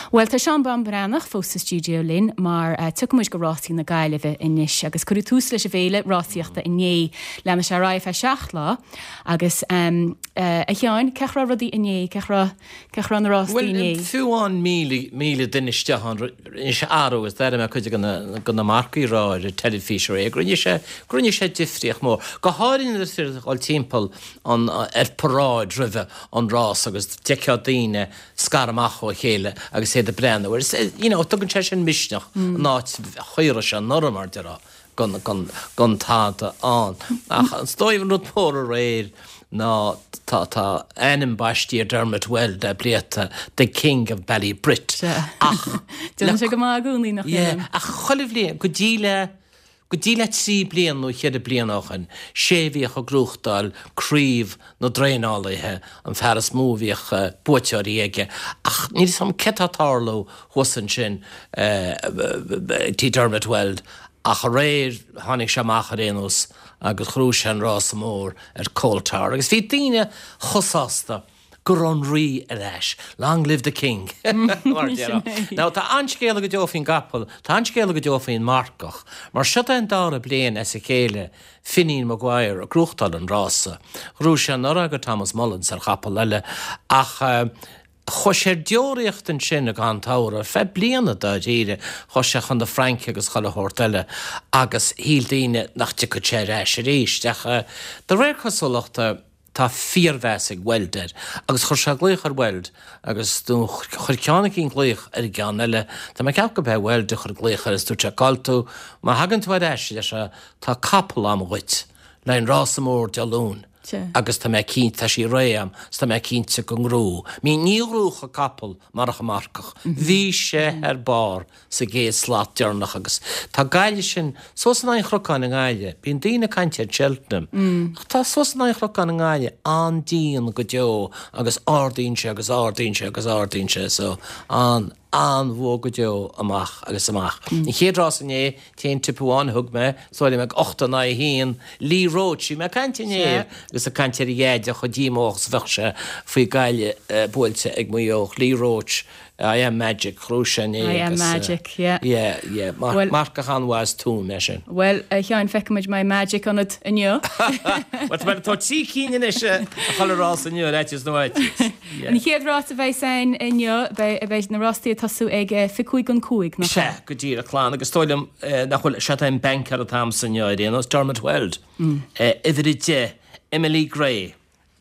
Bhuel, tá Seán Bán Breathnach fós sa stiúideo linn mar tiocfaidh muid go Rásaí na Gaillimhe anois agus cuireadh tús leis an bhféile rásaíochta inné. Leanfaidh sé ar aghaidh feadh 7 lá agus a Sheáin, cén chaoi a raibh rudaí inné, cén chaoi a raibh, cén chaoi a raibh na rástaí inné? Bhuel, fiú amháin 1,000 duine isteach ann, rinne sé athrú agus d'airigh mé cuid de na marcaigh ag rá ar an teilifís aréir go rinne sé, go rinne sé difríocht mór. Go háirithe nuair is féidir dul timpeall an, ar paráid roimhe an rás agus d'fheicfeá daoine scaradh amach ó chéile agus iad ag breathnú air. You know, tugann sé sin misneach an áit a raibh sé anuraidh, mar déarfá, gan, gan, gan tada ann. Ach is dóigh an rud mór aréir ná tá, tá ainm baistí ar Dermot Weld le blianta, The King of Ballybrit. Ach. Déanann sé go maith i gcónaí, nach ndéanann? Yeah, ach chuile bhliain, go dtí le, Go dtí le 3 bliana nó cheithre bliana ó shoin, sé a bhíodh ag gnóthachtáil craobh na dtraenálaithe, an fear is mó a bhíodh buaiteoirí aige, ach níl 'fhios a'm céard tá ag tarlú thuas ansin tí Dermot Weld, ach aréir tháinig sé amach ar aon nós agus ghnóthaigh sé an rása mór ar Coal Tar agus bhí daoine chomh sásta. go raibh an Rí ar ais. Long live the King! Mar a déarfá. Now, tá an-scéala go deo faoin gcapall, tá an-scéala go deo faoin marcach, mar seod é an dara bliain as a chéile Finian Maguire ag gnóthachtáil an rása. Ghnóthaigh sé anuraidh do Thomas Mullins ar chapall eile ach chuaigh sé ar deoraíocht ansin i gcaitheamh an tsamhraidh, ar feadh bliana dáiríre. Chuaigh sé chun na Fraince agus chuile shórt eile agus shíl daoine nach dtiocfadh sé ar ais arís. Ach de réir cosúlachta, Tá fíormheas ag Weld air agus chuir sé glaoch ar Weld agus nó chuir ceann eicínt glaoch ar an gceann eile, tá mé ag ceapadh gurb é Weld a chuir glaoch air agus dúirt sé cá'il tú, má thagann tú ar ais, a deir sé, tá capall a'm dhuit le an rása mór Dé Luain agus tá mé cinnte, tá sí réidh a'm 's tá mé cinnte go ngnóthóidh. Ní ghnóthódh an capall marach an marcach. Bhí sé ar barr. sa gcéad slat deireanach agus tá Gaillimh sin suas in aghaidh an Chnocáin i nGaillimh. Bíonn daoine ag caint ar Cheltenham ach tá suas in aghaidh an Chnocáin i nGaillimh an-dian go deo agus ardaíonn sé agus ardaíonn sé agus ardaíonn sé so an an-bhua go deo amach agus amach. An chéad rás inné, t-aon tip amháin a thug mé, is dóigh liom ag 8 in aghaidh 1, Lee Roche, bhí mé ag caint inné agus ag caint ar a dheaide chomh díomách is a bheadh sé faoi Gaillimh buailte ag Maigh Eo, Lee Roche, I am magic, ghnóthaigh sé inné I am magic, yeah. Yeah, yeah. Well, Marcach an-mhaith as Tuaim é sin. Bhuel, a Sheáin, feicfimid an mbeidh magic ionat inniu. Bhuel, tá mé ag tabhairt 3 cinn anois a chuile rás inniu ar fhaitíos nó fhaitíos. Yeah. An chéad rás a bheidh ann inniu, beidh, beidh na rástaí ag tosú ag 25 don 5, nach ea? Sea, go díreach, Clann, agus is dóigh liom nach bhfuil, sea, tá an banker atá a'msa inniu ar aon nós, Dermot Weld, uimhir 10, Emily Gray,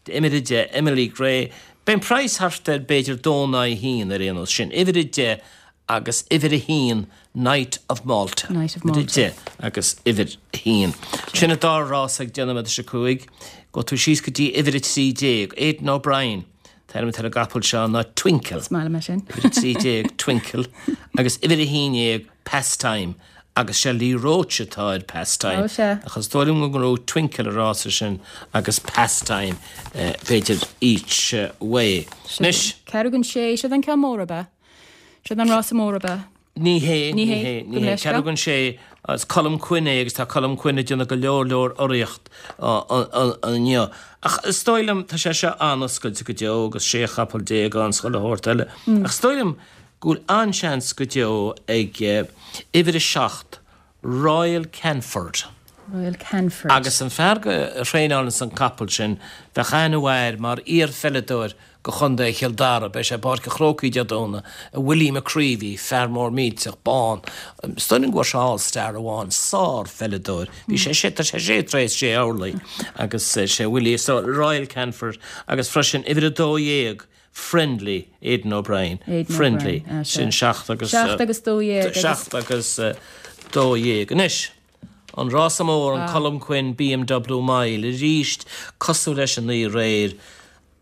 Uimhir 10, Emily Gray. Beidh an praghas thart ar b'fhéidir dó in aghaidh a haon ar aon nós. Sin uimhir 10 agus uimhir 1 Knight of Malta. Knight of Malta. Uimhir 10 agus uimhir 1. Sin an dara rás ag 10 nóiméad tar éis a 5. Gabhfaidh tú síos go dtí uimhir 13, Aidan O'Brien. An t-ainm atá ar an gcapall seo ná Twinkle. Is maith liom é sin. Uimhir 13, Twinkle. Agus uimhir 11, Pastime agus sé Lee Roche atá ar Pastime. Ó, sea. Ach is dóigh liom go ngnóthóidh Twinkle an rása sin agus Pastime b'fhéidir each way. Anois. Ceathrú don sé, siod an ceann mór ab ea? Siod an rása mór ab ea? Ní hé, ní hé, ní hé. Ceathrú don sé, is Colm Quinn é agus tá Colm Quinn ag déanamh go leor leor urraíocht inniu. Ach is dóigh liom, tá sé seo an-oscailte go deo agus 16 chapall ann 's chuile shórt eile. Ach is dóigh liom go bhfuil an-seans go deo ag uimhir 7, Royal Canford. Royal Canford. Agus an fear a thraenálanns an capall sin, bheadh aithne mhaith air mar iar-pheileadóir go Chontae Chill Dara, beidh sé i bPáirc an Chrócaigh Dé Domhnaigh, Willie McCreevy, fear mór millteach, bán, is dóigh liom go bhfuair sé All Star amháin, sár-pheileadóir, bhí sé sé, tá sé sé troigh is sé orlaí agus sé Willie, so Royal Canford agus freisin uimhir 12, Friendly, Aidan O'Brien, Aidan Friendly, O'Brien, ah, sin 7 agus. 7 agus 12 agus. 7 agus 12. Anois, an rása mór, an Colm Quinn BMW Mile, arís, cosúil leis an oíche aréir,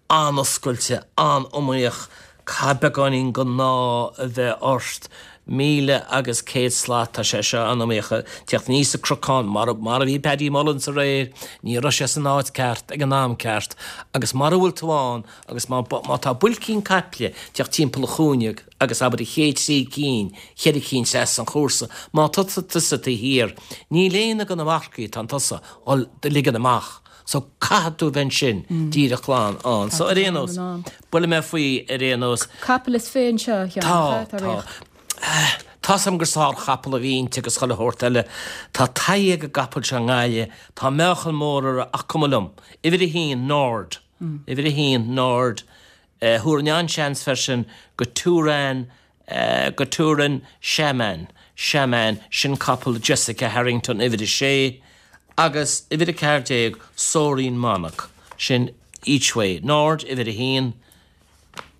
an-oscailte, an-iomaíoch, caithfidh beagáinín den ádh a bheith ort. 1,000 agus 100 slat, tá sé seo an-iomaíoch, teacht aníos an cnocán, mar mar a bhí Paddy Mullins aréir, ní raibh sé san áit ceart ag an am ceart, agus mara bhfuil tú ann, Agus má má tá builcín caiple teacht timpeall an chúinne agus abair an chéad trí cinn, cheithre cinn trasna an chúrsa, má tá tusa taobh thiar, níl aon de na marcaigh atá chun tosaigh dhul do ligean amach. So caithfidh tú a bheith ansin díreach lán ann. So ar aon nós, buailfidh mé faoi ar aon nós. Capall is fi anseo, a Sheáin, Tá, tá. Tá's a'm gur sárchapall a bhí inti agus chuile shórt eile. Tá taithí ag an gcapall seo i nGaillimh, tá meáchan mór uirthi ach cuma liom. Uimhir a haon, Nord. Uimhir a haon, Nord. Thabharfainn an-seans freisin go Turan, go Turan Shaman, Shaman, sin capall Jessica Harrington, uimhir a sé, agus uimhir a 14, Soaring Monarch, sin Each Way. Nord, uimhir a haon,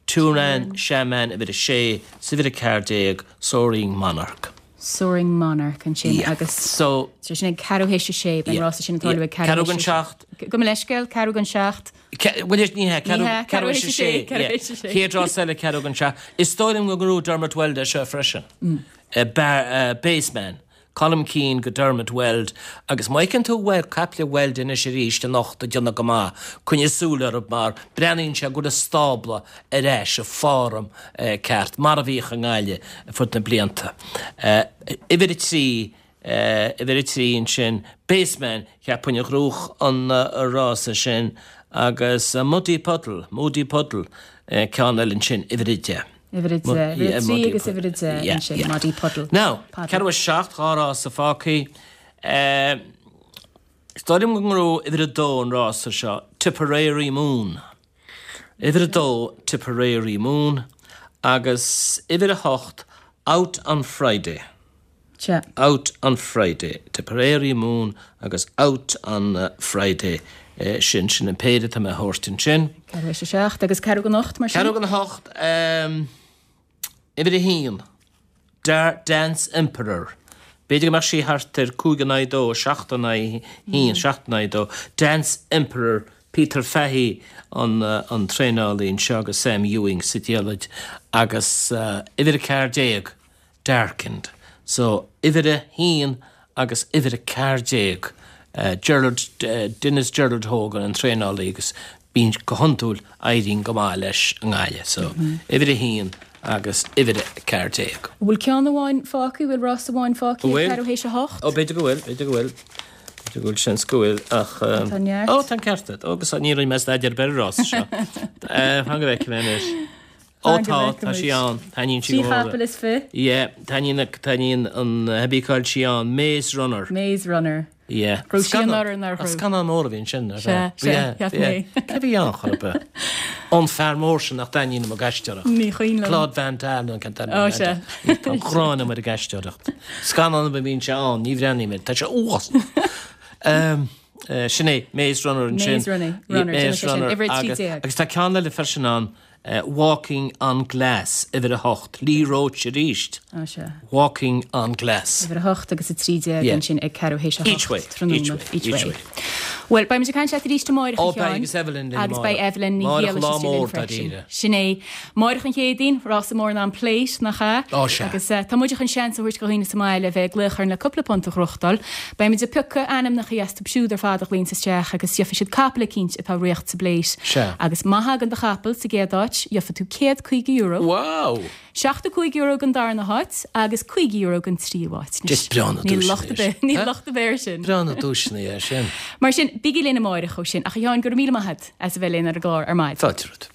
Turan Shaman, uimhir a sé, 's uimhir a 14, Soaring Monarch. Soaring Monarch ansin agus So. sin ag ceathrú théis a sé, beidh an rása sin ag tarlú ag ceathrú théis a sé. Gabh mo leithscéal, ceathrú don seacht. Bhuel, ní hea, ceathrú théis a sé. Chéad rás eile, ceathrú don seacht. Is dóigh liom go ngnóthóidh Dermot Weld é seo freisin. Baseman. Colm Keane go Dermot Weld. Agus má fheiceann tú caiple Weld anois arís anocht ag déanamh go maith, coinnigh súil orthu mar breathnaíonn sé go bhfuil an stábla ar ais i form ceart, mar a bhíodh i nGaillimh ar fud na blianta. Uimhir a 3, Uimhir 3 ansin, Baseman, cheapfainn a ghnóthódh an rása sin agus Muddy Puddle, Moody Puddle, ceann eile ansin, uimhir 10. Uimhir 10, uimhir 3 agus uimhir 10 ansin, Muddy Puddle. Now, ceathrú théis 7, dhá rása fágtha. Is dóigh liom go ngnóthóidh uimhir 2 an rása seo, Tipperary Moon. Uimhir 2, Tipperary Moon agus uimhir 8, Out on Friday. Sea. Out on Friday. Tipperary Moon agus Out on Friday. Sin, sin an péire atá mé a thabhairt ansin. Ceathrú théis a seacht agus ceathrú don ocht mar sin? Ceathrú don hocht, uimhir a haon, Dance Emperor. B'fhéidir go mbeadh sí thart ar cúig in aghaidh dó, seacht in aghaidh haon, seacht in aghaidh dó. Dance Emperor, Peter Fahy an traenálaí anseo agus Sam Ewing sa diallait agus uimhir a 14, Darkened. So, uimhir a haon agus uimhir a 14, Gerald, Denis Gerald Hogan an traenálaí agus bíonn, go hiondúil, éiríonn go maith leis i nGaillimh. So, uimhir a haon agus uimhir a 14. An bhfuil ceann amháin fágtha, bhfuil rás amháin fágtha ag ceathrú théis a hocht? Ó, b'fhéidir go bhfuil, b'fhéidir go bhfuil. B'fhéidir go bhfuil, seans go bhfuil, ach. Tá neart. Ó, tá an ceart agat. Ó, agus ní rinne mé staidéar ar bith ar an rás seo. Fan go bhfeicfidh mé anois. Ó tá, tá sí ann. Taitníonn sí go mór. Trí chapall is fi. Yeah, taitníonn, taitníonn an, cibé cá bhfuil sí ann, Maze Runner. Maze Runner. Yeah. Raibh sí anuraidh nár raibh? Scannán mór a bhí ansin, nach ea? Sea, sea, cheap mé. Cé a bhí ann chor ar bith? An fear mór sin nach dtaitníonn liom ag aisteoireacht. Ní cuimhin liom. Claude Van Damme nó cén t-ainm Ó, sea. Tá an ghráin agam air ag aisteoireacht. Scannán ar bith a mbíonn sé ann, ní bhreathnaím air. Tá sé uafásach. Sin é, Maze Runner ansin. Maze Runner, Runner, Maze Runner. Uimhir 13. Agus tá ceann eile freisin ann, Walking on Glass, uimhir 8, Lee Roche arís. Á sea. Walking on Glass. Uimhir 8 agus 13 ansin ag ceathrú théis a hocht. Each way, each way, each way. Bhuel, beidh muid ag caint leat arís amárach, a Sheáin. Ó, beidh agus Evelyn linn Agus beidh Evelyn Ní Amárach lá mór, dáiríre. Sin é. Amárach an Chéadaoin, rása mór ná an Plate, nach ea? Ó, sea. Agus tá muid chun seans a thabhairt do dhaoine sa mbaile a bheith ag glaoch orainn le cúpla punt a ghnóthachtáil. Beidh muid ag piocadh ainmneacha astu siúd ar fad a ghlaonns isteach agus gheobhaidh siad capall eicínt atá ag rith sa bPlate. Sea. Agus má thagann do chapall sa gcéad áit, gheobhaidh tú €150. Wow! €75 don darna háit agus €50 don tríú háit. Is breá na Níl locht ar bith, níl locht ar bith air sin. Breá na duaiseanna é sin. Mar sin, bígí linn amáireach ó sin. Ach a Sheáin, go raibh míle maith agat as a bheith linn ar an gclár ar maidin. Fáilte romhat.